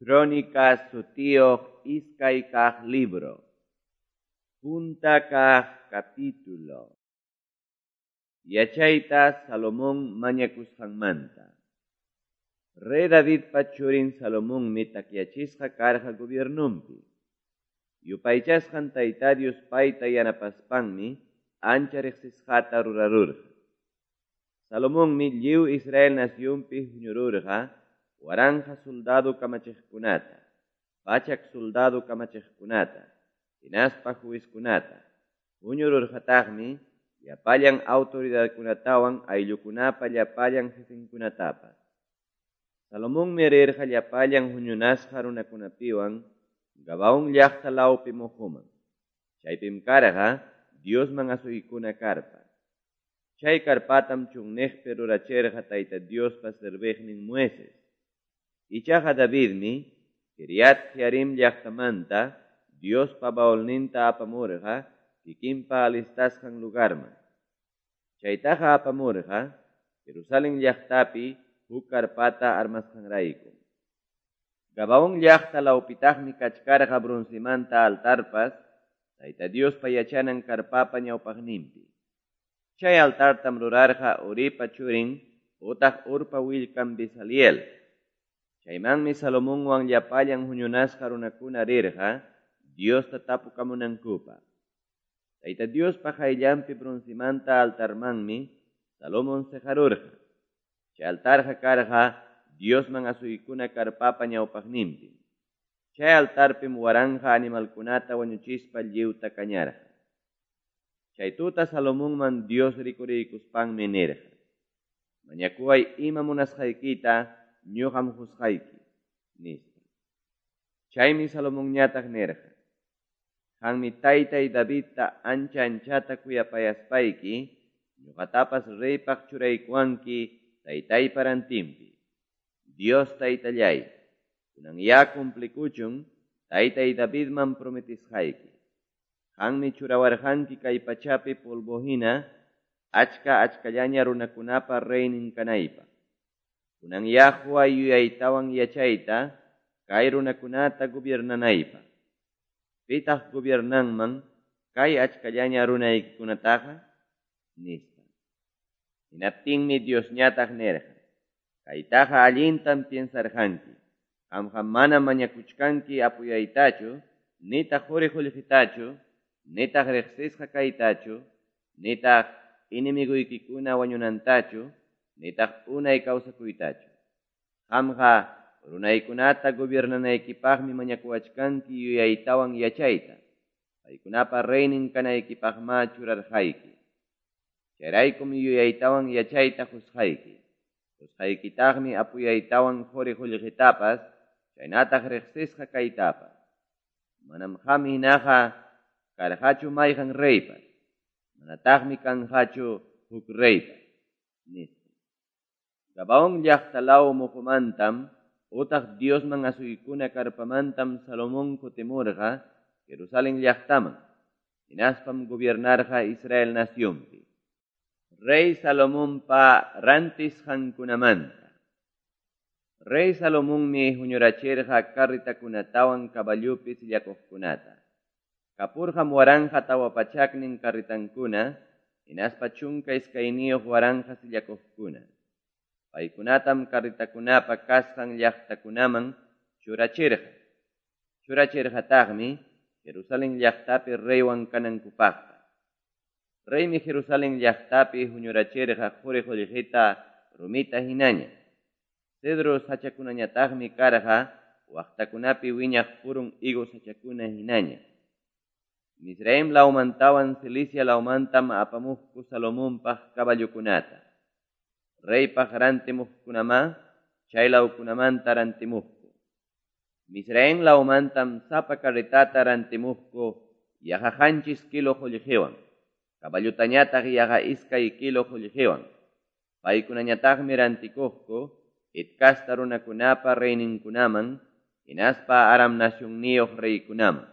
Crónicas sutiyuq iskay kaq libro. Punta kaq capítulo. Yachayta Salomón mañakusqanmanta. Rey Davidpa churin Salomonmi takyachisqa karqa gobiernonpi. Yupaychasqan Tayta Dios payta yanapaspanmi ancha riqsisqata rurarurqa. Salomonmi lliw Israel nacionpi huñururqa 1000 soldado kamachiqkunata, 100 soldado kamachiqkunata, hinaspa juezkunata. Huñururqataqmi llapallan autoridadkunatawan ayllukunapa llapallan jefenkunatapas. Salomonmi rirqa llapallan huñunasqa runakunapiwan Gabaón llaqta lawpi muhuman. Chaypim karqa Diosman asuykuna karpa. Chay karpatam chunniqpi rurachirqa Tayta Diospa serviqnin Moisés. Ichaqa Davidmi Kiriat Jearim llaqtamanta Diospa baulninta apamurqa kikinpa alistasqan lugarman. Chaytaqa apamurqa Jerusalén llaqtapi huk karpata armasqanrayku. Gabaón llaqta lawpitaqmi kachkarqa broncemanta altarpas Tayta Diospa yachanan karpapa ñawpaqninpi. Chay altartam rurarqa Uripa churin utaq Urpa willkan Bezaliel. Chaymanmi Salomonwan llapallan huñunasqa runakuna rirqa Diosta tapukamunankupaq. Tayta Diospa qayllanpi broncemanta altarmanmi Salomón seqarurqa. Chay altarqa karqa Diosman asuykuna karpapa ñawpaqninpi. Chay altarpim 1000 animalkunata wañuchispa lliwta kañarqa. Chay tuta Salomonman Dios rikuriykuspanmi nirqa: Mañakuway ima munasqaykita ñuqam qusqayki, nispa. Chaymi Salomonñataq nirqa: Qanmi taytay Davidta ancha anchata kuyapayaspayki ñuqatapas reypaq churaykuwanki taytaypa rantinpi. Dios taytallay, kunan ya cumplikuchun taytay Davidman prometisqayki. Qanmi churawarqanki kay pachapi polvo hina achka achkallaña runakunapa reynin kanaypaq. Kunan ya huway yuyaytawan yachayta kay runakunata gobiernanaypaq. Pitaq gobiernanman kay achkallaña runaykikunataqa? Nispa. Hinaptinmi Diosñataq nirqa: Kaytaqa allintam piensarqanki. Qamqa mana mañakuchkanki apuyaytachu, nitaq quri qullqitachu, nitaq riqsisqa kaytachu, nitaq enemiguykikuna wañunantachu, nitaq unay kawsakuytachu. Qamqa runaykunata gobiernanaykipaqmi mañakuwachkanki yuyaytawan yachayta. Paykunapa reynin kanaykipaqma churarqayki. Chayraykum yuyaytawan yachayta qusqayki. Qusqaykitaqmi apuyaytawan quri qullqitapas, chaynataq riqsisqa kaytapas. Manam qam hinaqa karqachu mayqan reypas, manataqmi kanqachu huk reypas, nispa. Gabaón llaqta law muhumantam utaq Diosman asuykuna karpamantam Salomón kutimurqa Jerusalén llaqtaman, hinaspam gobiernarqa Israel nacionpi. Rey Salomonpa rantisqankunamanta. Rey Salomonmi huñurachirqa carritakunatawan caballupi sillakuqkunata. Kapurqam 1400 carritankuna, hinaspa 12 waranqa sillakuqkuna. Paykunatam carritakunapa kasqan llaqtakunaman churachirqa. Churachirqataqmi Jerusalén llaqtapi reywan kanankupaqpas. Reymi Jerusalén llaqtapi huñurachirqa quri qullqita rumita hinaña. Cedro sachakunañataqmi karqa waqtakunapi wiñaq purun higo sachakuna hinaña. Misraim lawmantawan Cilicia lawmantam apamuqku Salomonpaq caballokunata. Reypaq rantimuqkunamá chay lawkunamanta rantimuqku. Misraim lawmantam sapa carretata rantimuqku yaqa 7 kilo qullqiwan, caballutañataq yaqa 2 kilo qullqiwan. Paykunañataqmi rantikuqku Het kasta runakunapa reyninkunaman, hinaspa Aram nacionniyuq reykunaman.